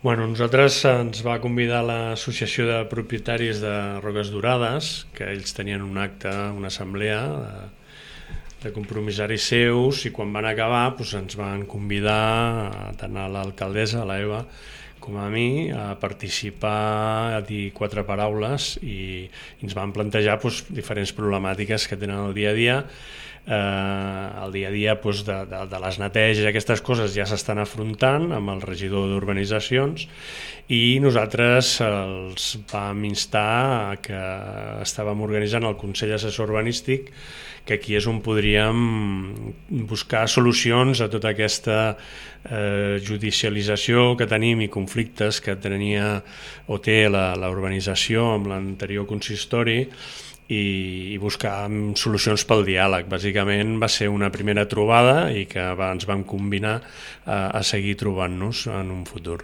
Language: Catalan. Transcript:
Bueno, nosaltres ens va convidar l'Associació de Propietaris de Roques Dorades, que ells tenien un acte, una assemblea de compromissaris seus, i quan van acabar doncs ens van convidar tant a l'alcaldessa, a l'Eva, com a mi, a participar, a dir quatre paraules i ens van plantejar diferents problemàtiques que tenen el dia a dia. El dia a dia de les neteges, aquestes coses ja s'estan afrontant amb el regidor d'urbanitzacions, i nosaltres els vam instar que estàvem organitzant el Consell Assessor Urbanístic, que aquí és on podríem buscar solucions a tota aquesta judicialització que tenim i conflictes que tenia o té la urbanització amb l'anterior consistori, i buscar solucions pel diàleg. Bàsicament va ser una primera trobada i que ens vam combinar a seguir trobant-nos en un futur.